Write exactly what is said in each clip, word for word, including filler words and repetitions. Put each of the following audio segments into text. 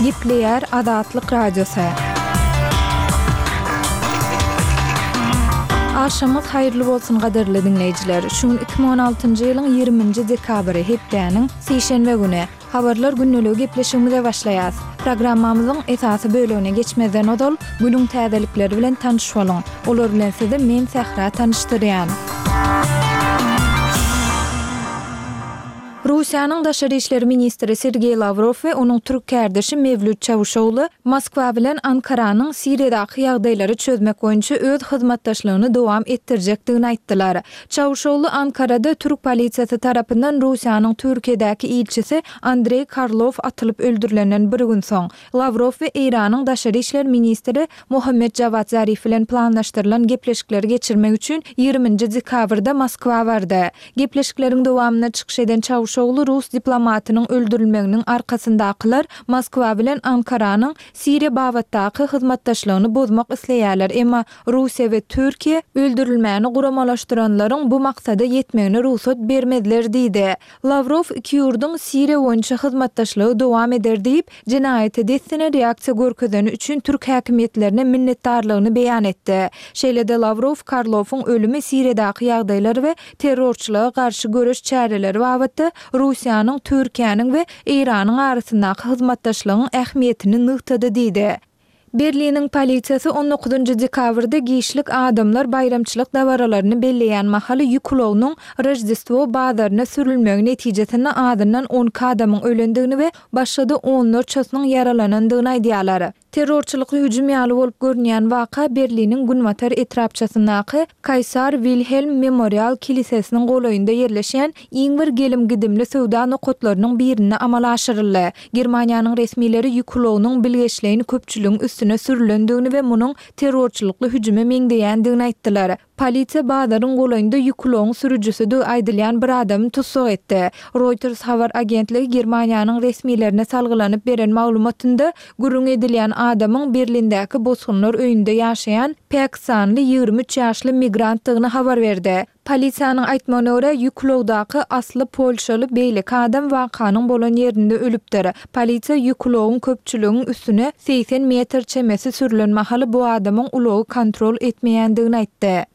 Gepleýär Azatlyk Radiosy. Agşamyňyz haýyrly bolsun gadyrly diňleýjiler. Şu gün iki müň on altynjy ýylyň ýigriminji dekabry, hepdäniň sişenbe güni. Habarlar gündeligi gepleşigimize başlaýas. Programmamyzyň esasy bölegine geçmezden ozal, günüň täzelikleri bilen tanyş boluň. Olar bilen sizi men Sähra tanyşdyrýan. Russiýanyň daşary işler ministri Sergeý Lawrow we onuň türk kärdeşi Mewlüt Çawuşogly Moskwa bilen Ankaranyň Siriýadaky ýagdaýlary çözmek boýunça öz hyzmatdaşlygyny dowam etdirjekdigini aýtdylar. Çawuşogly Ankarada türk polisiýasy tarapyndan Russiýanyň Türkiýedäki ilçisi Andreý Karlow atylyp öldürilenden bir gün soň, Lawrow we Eýranyň daşary işler ministri Mohammed Jawad Zarif bilen planlaşdyrylan gepleşikleri geçirmek üçin ýigriminji dekabrda Moskwa bardy. Gepleşikleriň dowamynda çykyş eden Çawuşogly rus diplomatynyň öldürilmeginiň arkasyndakylar Moskwa bilen Ankaranyň Siriýa babatdaky hyzmatdaşlygyny bozmak isleýärler, emma Russiýa we Türkiýe öldürilmäni guramalaşdyranlaryň bu maksada ýetmegine rugsat bermezler diýdi. Lawrow iki ýurduň Siriýa boýunça hyzmatdaşlygy dowam eder diýip, jenaýata dessine reaksiýa görkezeni üçin türk häkimiýetlerine minnetdarlygyny beýan etdi. Şeýle-de Lawrow Karlowyň ölümi Siriýadaky ýagdaýlar we terrorçylyga garşy göreş çäreleri babatda Russiýanyň, Türkiýäniň we Eýranyň arasyndaky hyzmatdaşlygyň ähmiýetini nygtady diýdi. Berliniň polisiýasy on dokuzynjy dekabrda giçlik adamlar baýramçylyk dabaralaryny belleýän mahaly ýük ulagynyň Roždestwo bazaryna sürülmegi netijesinde azyndan on iki adamyň ölendigini we başga-da onlarçasynyň ýaralanandygyny aýdýarlar. Terrorçylykly hüjüm ýaly bolup görünýän waka Berliniň günbatar etrapçasyndaky Kaýsar Wilhelm Memorial kilisesiniň golaýynda ýerleşýän iň bir gelim-gidimli söwda nokatlarynyň birinde amala aşyryldy. Germaniýanyň resmileri ýük ulagynyň bilgeşleýin köpçüligiň üstüne sürülendigini we munuň terrorçylykly hüjüme meňzeýändigini aýtdylar. Polisiýa bazaryň golaýynda ýük ulagyň sürüjisidigi aýdylýan bir adamy tussag etdi. Reuters habar agentligi Germaniýanyň resmilerine salgylanyp beren maglumatynda, gürrüň edilýän adamyň Berlindäki bosgunlar öýünde ýaşaýan pakistanly ýigrimi üç ýaşly migrantdygyny habar berdi. Polisiýanyň aýtmagyna görä, ýük ulagdaky asly polşaly beýleki adam wakanyň bolan ýerinde ölüpdir. Polisiýa ýük ulagyň köpçüligiň üstüne segsen metr çemesi sürlen mahaly bu adamyň ulagy kontrol etmeýändigini aýtdy.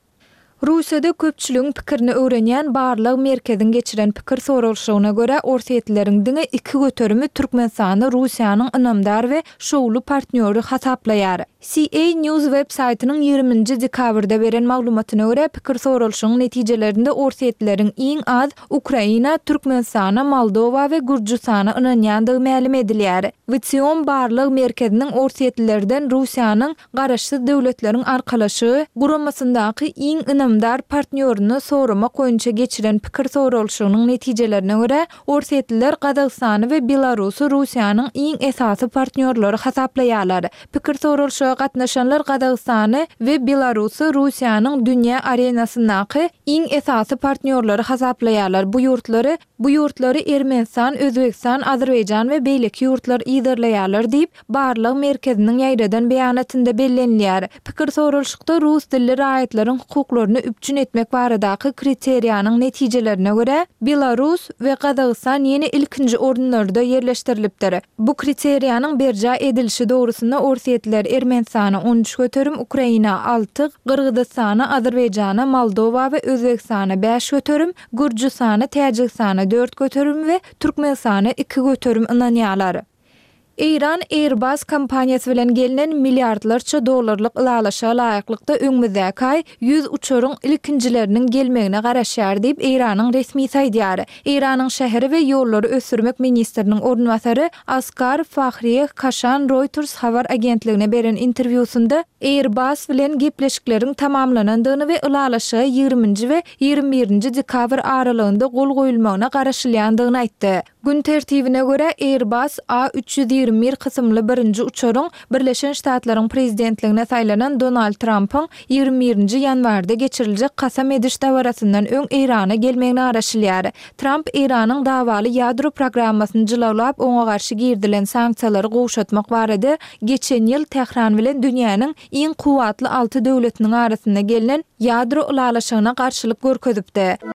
Russiýada köpçüligiň pikirini öwrenýän barlag merkeziň geçiren pikir soralyşygyna görä, orsýetlileriň diňe iki göterimi Türkmenistany Russiýanyň ynamdar we şowly partnýory hasaplaýar. C A News web saýtynyň ýigriminji dekabrda beren maglumatyna görä, pikir soralyşygyň netijelerinde orsýetlileriň iň az Ukraina, Türkmenistana, Moldowa we Gürjüstana ynanýandygy mälim edilýär. W T O barlag merkeziniň orsýetlilerden Russiýanyň Garaşsyz Döwletleriň Arkalaşygy guramasyndaky iň ynamdar partnýoryny soramak boýunça geçiren pikir soralyşygynyň netijelerine görä, orsýetliler Gazagystany we Belarusy Russiýanyň iň esasy partnýorlary hasaplaýarlar. Pikir soralyşyga gatnaşanlar Gazagystany we Belarusy Russiýanyň dünýä arenasyndaky iň esasy partnýorlary hasaplaýarlar. Bu ýurtlary, bu ýurtlary Ermenistan, Özbegistan, Azerbaýjan we beýleki ýurtlar yzarlaýarlar diýip, barlag merkeziniň ýaýradan beýanatynda bellenilýär. Pikir soralyşykda rus dilli raýatlaryň hukuklaryny üpjün etmek baradaky kriteriýanyň netijelerine görä, Belarus we Gazagystan ýene ilkinji orunlarda ýerleşdirilipdir. Bu kriteriýanyň berjaý edilişi dogrusynda orsýetliler Ermenistana on üç göterim, Ukraina alty, Gyrgyzystana, Azerbaýjana, Moldowa we Özbegistana bäş göterim, Gürjüstana, Täjigistana dört göterim we Türkmenistana iki göterim ynanýarlar. Eýran Airbus kompaniýasy bilen gelnen milliardlarça dollarlyk ylalaşyga laýyklykda öňümizdäki aý ýüz uçaryň ilkinjileriniň gelmegine garaşýar diýip, Eýranyň resmisi aýdýar. Eýranyň şäheri we ýollary ösdürmek ministriniň orunbasary Askar Fahriýeh Kaşan Reuters habar agentligine beren interwýusynda Airbus bilen gepleşikleriň tamamlanandygyny we ylalaşyga ýigriminji we ýigrimi birinji dekabr aralygynda gol goýulmagyna garaşylýandygyny aýtdy. Gün tertibine görä, Airbus A üç ýüz ýigrimi bir kysymly birinji uçaryň Birleşen Ştatlaryň prezidentligine saýlanan Donald Trampyň ýigrimi birinji ýanwarda geçiriljek kasam ediş dabarasyndan öň Eýrana gelmegine garaşylýar. Tramp Eýranyň dawaly ýadro programmasyny jylawlap, oňa garşy girizilen sanksiýalary gowşatmak barada geçen ýyl Tähran bilen dünýäniň iň kuwwatly alty döwletiniň arasynda gelnen ýadro ylalaşygyna garşylyk görkezipdi.